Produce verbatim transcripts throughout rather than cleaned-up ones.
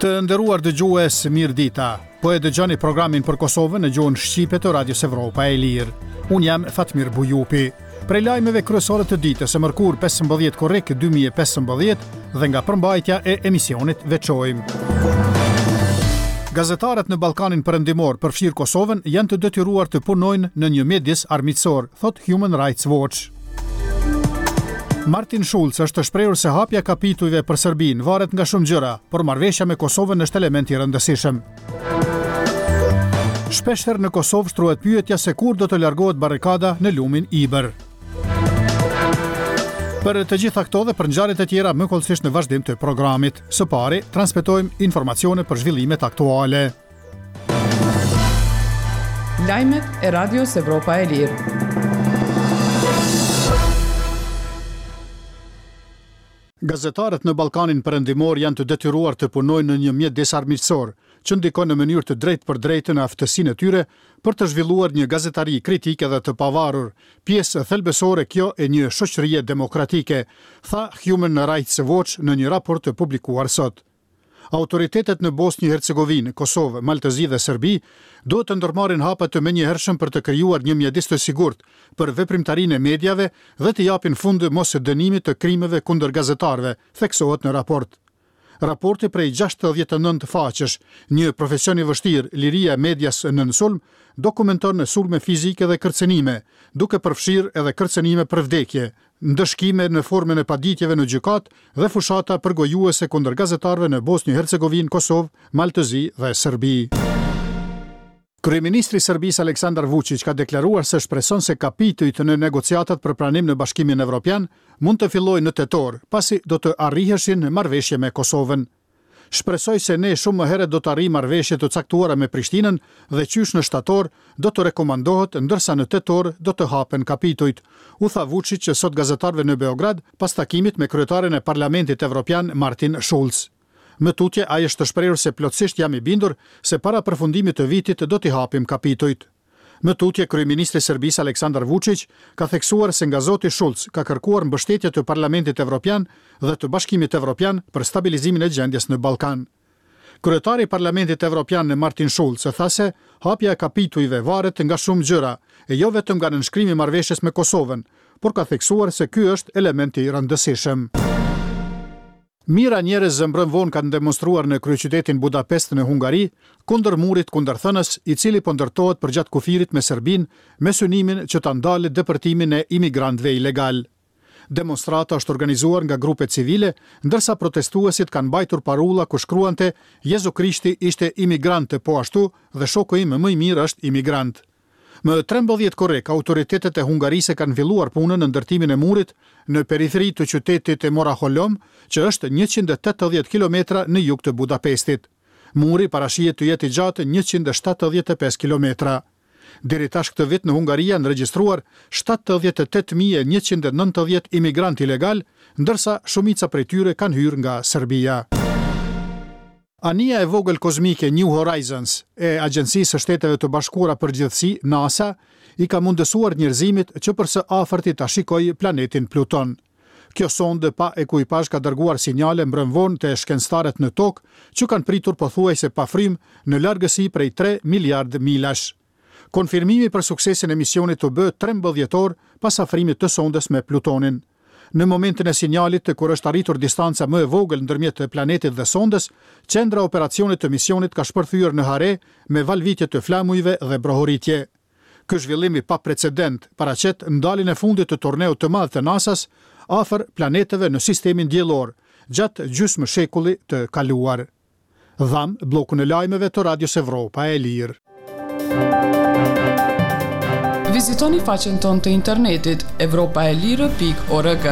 Të nderuar dëgjues, mirë dita. Po e dëgjoni programin për Kosovën në gjuhën shqipe të Radios Evropa e Lirë. Unë jam Fatmir Bujupi. Prej lajmeve kryesore të ditës së mërkur pesëmbëdhjetë korrik dy mijë e pesëmbëdhjetë dhe nga përmbajtja e emisionit veçojmë. Gazetarët në Ballkanin Perëndimor, përfshirë Kosovën, janë të detyruar të punojnë në një mjedis armiqësor, thot Human Rights Watch. Martin Schulz është shprehur se hapja e kapitujve për Serbinë varet nga shumë gjëra, por marrëveshja me Kosovën është element i rëndësishëm. Shpeshherë në Kosovë shtrohet pyetja se kur do të largohet barrikada në lumin Ibër. Për të gjitha këto dhe për ngjarjet e tjera më hollësisht në vazhdim të programit. Së pari, transmetojmë informacione për zhvillimet aktuale. Lajmet e Radios Evropa e Lirë. Gazetarët në Ballkanin Perëndimor janë të detyruar të punojnë në një mjedis armiqësor, që ndikon në mënyrë të drejtë për drejtë në aftësinë e tyre për të zhvilluar një gazetari kritike dhe të pavarur, pjesë thelbësore kjo e një shoqërie demokratike, tha Human Rights Watch në një raport të publikuar sot. Autoritetet në Bosnjë Hercegovinë, Kosovë, Mal të Zi dhe Serbi duhet të ndërmarrin hapa të menjëhershëm për të krijuar një mjedis të sigurt për veprimtarinë e mediave dhe të japin fund mos dënimit të krimeve kundër gazetarëve, theksohet në raport. Raporti prej gjashtëdhjetë e nëntë faqesh, një profesion i vështirë, liria e medias nën sulm, dokumenton sulme fizike dhe kërcënime, duke përfshirë edhe kërcënime për vdekje, ndëshkime në formën e paditjeve në gjykatë dhe fushata përgojuese kundër gazetarëve në Bosnjë, Hercegovinë, Kosovë, Mal të Zi dhe Serbi. Kryeministri i Serbisë Aleksandar Vučić ka deklaruar se shpreson se kapitujt në negociatat për pranim në Bashkimin Evropian mund të fillojnë në tetor, pasi do të arriheshin marrëveshje me Kosovën. Shpresoj se ne shumë më herët do të arrijmë marrëveshje të caktuara me Prishtinën dhe qysh në shtator do të rekomandohet, ndërsa në tetor do të hapen kapitujt, u tha Vučić që sot gazetarëve në Beograd pas takimit me kryetarin e Parlamentit Evropian Martin Schulz. Më tutje ai është shprehur se plotësisht jam i bindur se para përfundimit të vitit do t'i hapim kapitujt. Më tutje kryeministri i Serbisë Aleksandar Vučić ka theksuar se nga zoti Schulz ka kërkuar mbështetje të Parlamentit Evropian dhe të Bashkimit Evropian për stabilizimin e gjendjes në Ballkan. Kryetari i Parlamentit Evropian Martin Schulz tha se hapja e kapitujve varet nga shumë gjëra, e jo vetëm nga nënshkrimi i marrëveshjes me Kosovën, por ka theksuar se ky është element i rëndësishëm. Mira njerëz mbrëm vonë kanë demonstruar në kryeqytetin Budapest në Hungari kundër murit kundërthënës, i cili po ndërtohet përgjatë kufirit me Serbinë me synimin që ta ndalë depërtimin e imigrantëve ilegal. Demonstrata është organizuar nga grupe civile, ndërsa protestuesit kanë mbajtur parulla ku shkruante Jezu Krishti ishte imigrant po ashtu dhe shoku im më i mirë është imigrant. Më trembëdhjetë korrik, autoritetet e Hungarisë kanë filluar punën në ndërtimin e murit në periferi të qytetit të Moraholom, që është njëqind e tetëdhjetë kilometra në jug të Budapestit. Muri parashihet të jetë i gjatë njëqind e shtatëdhjetë e pesë kilometra. Deri tash këtë vit në Hungari janë regjistruar shtatëdhjetë e tetë mijë e njëqind e nëntëdhjetë imigrantë ilegal, ndërsa shumica prej tyre kanë hyrë nga Serbia. Anija e vogël kozmike New Horizons e Agjencisë së Shteteve të Bashkuara për Gjithësi, NASA, i ka mundësuar njerëzimit që për së afërti ta shikojë planetin Pluton. Kjo sondë pa ekuipazh ka dërguar sinjale mbrëm vonë te shkencëtarët në tokë që kanë pritur pothuajse pa frymë në largësi prej tre miliard milash. Konfirmimi për suksesin e misionit u bë trembëdhjetë orë pas afrimit të sondës me Plutonin. Në momentin e sinjalit, kur është arritur distanca më e vogël ndërmjet planetit dhe sondës, qendra e operacionit të misionit ka shpërthyer në hare me valvitje të flamujve dhe brohoritje. Ky zhvillim i paprecedent paraqet ndaljen e fundit të turneut të madh të NASA-s afër planeteve në sistemin diellor gjatë gjysmë shekulli të kaluar. Dham bllokun e lajmeve të Radios Evropa e Lirë. Vizitoni faqen tonë të internetit evropa e lirë pikë org.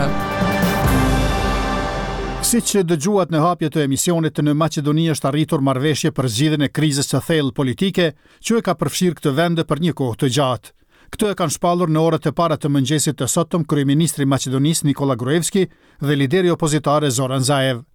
Siç dëgjuat në hapje të emisionit, në Maqedoni është arritur marrëveshje për zgjidhjen e krizës së thellë politike që e ka përfshirë këtë vend për një kohë të gjatë. Këtë e kanë shpallur në orët e para të mëngjesit të sotëm kryeministri i Maqedonisë Nikola Gruevski dhe lideri opozitar Zoran Zaev.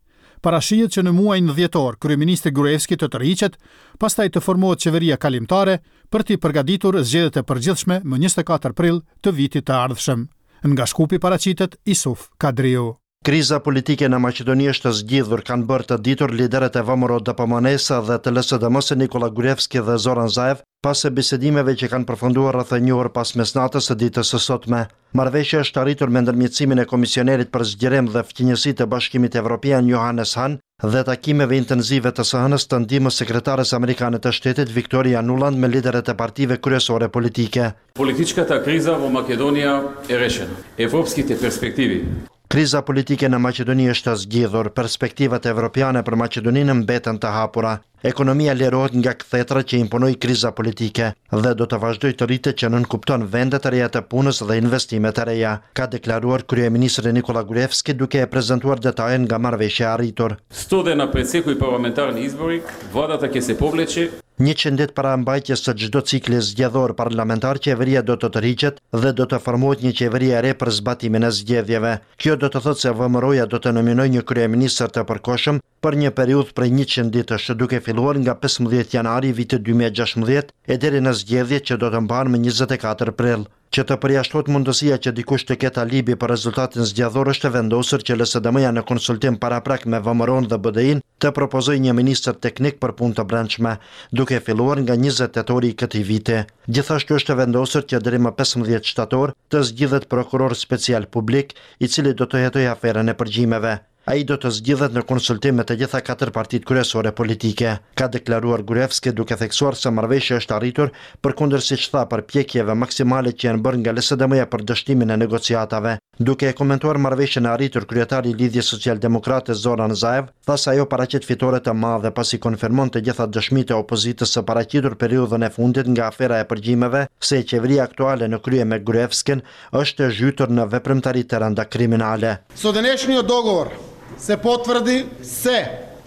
Parashihet që në muajin dhjetor kryeministri Gruevski të tërhiqet, pastaj të formohet qeveria kalimtare për t'i përgatitur zgjedhjet e përgjithshme më njëzet e katër prill të vitit të ardhshëm. Nga Shkupi paraqitet Isuf Kadriu. Kriza politike në Maqedoni është zgjidhur, kanë bërë të ditur liderët e V M R O D P M N-së dhe të L S D M-së Nikola Gruevski dhe Zoran Zaev, pas bisedimeve që kanë përfunduar rreth një orë pas mesnatës së ditës së sotme. Marrëveshja është arritur me ndërmjetësimin e Komisionerit për Zgjerim dhe Fqinjësi të Bashkimit Evropian Johannes Hahn dhe takimeve intensive të së hënës të ndihmës sekretares amerikane të shtetit Victoria Nuland me liderët e partive kryesore politike. Политичката криза во Македонија е решена. Европските перспективи Kriza politike në Maqedoni është zgjidhur, perspektivat evropiane për Maqedoninë mbeten të hapura. Ekonomia lirohet nga kthetra që imponoi kriza politike dhe do të vazhdojë të rritet, që nënkupton vende të reja të punës dhe investime të reja, ka deklaruar kryeministri Nikola Gruevski duke e prezantuar detajen nga marrëveshja e arritur. сто дена пред секој парламентарни избори, владата ќе се повлече. Njëqind ditë para mbajtjes së çdo cikli zgjedhor parlamentar, qeveria do të tërhiqet dhe do të formohet një qeveri e re për zbatimin e zgjedhjeve. Kjo do të thotë se V M R O-ja do të nominojë një kryeministër të përkohshëm për një periudhë prej njëqind ditësh, duke filluar nga pesëmbëdhjetë janari i vitit dy mijë e gjashtëmbëdhjetë e deri në zgjedhjet që do të mbahen më njëzet e katër prill. Që të përjashtohet mundësia që dikush të ketë alibi për rezultatin zgjedhor, është vendosur që L S D M-ja në konsultim paraprak me V M R O-n dhe B D I-n të propozojë një ministër teknik për punë të brendshme, duke filluar nga njëzet tetori i këtij viti. Gjithashtu është vendosur që deri më pesëmbëdhjetë shtator të zgjidhet prokuror special publik, i cili do të hetojë aferën e përgjimeve. Ai do të zgjidhet në konsultim me të gjitha katër partitë kryesore politike, ka deklaruar Gruevski, duke theksuar se marrëveshja është arritur përkundër, siç tha, përpjekjeve maksimale që janë bërë nga L S D M-ja për dështimin e negociatave. Duke e komentuar marrëveshjen e arritur, kryetari i Lidhjes Socialdemokrate Zoran Zaev tha se ajo paraqet fitore të madhe, pasi konfirmon të gjitha dëshmitë e opozitës së paraqitur periudhën e fundit nga afera e përgjimeve se qeveria aktuale në krye me Gruevskin është e zhytur në veprimtari të rënda kriminale. Со денешниот договор се потврди се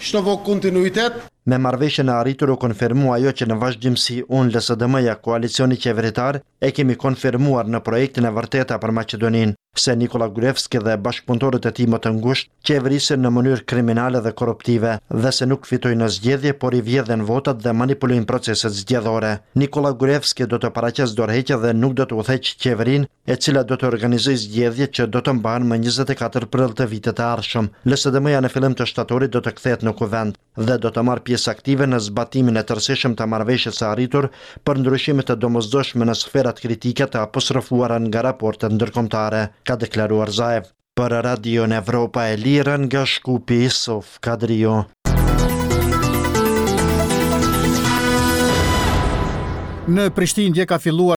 што во континуитет Me marrëveshjen e arritur u konfirmua ajo që në vazhdimësi unë, L S D M-ja, koalicioni qeveritar, e kemi konfirmuar në projektin e vërteta për Maqedoninë, se Nikola Gruevski dhe bashkëpunëtorët e tij më të ngushtë qeverisin në mënyrë kriminale dhe korruptive dhe se nuk fitojnë në zgjedhje, por i vjedhin votat dhe manipulojnë proceset zgjedhore. Nikola Gruevski do të paraqesë dorëheqje dhe nuk do të udhëheqë qeverinë, e cila do të organizojë zgjedhjet që do të mbahen më njëzet e katër prill të vitit të ardhshëm. L S D M-ja në fillim të shtatorit do të kthehet në kuvend dhe do të marrë pjesë aktive në zbatimin e tërësishëm të marrëveshjes së arritur për ndryshime të domosdoshme në sferat kritike të apostrofuara nga raportet ndërkombëtare, ka deklaruar Zaev. Për Radion Evropa e Lirë nga Shkupi, Isuf Kadriu. Në Prishtinë dje ka filluar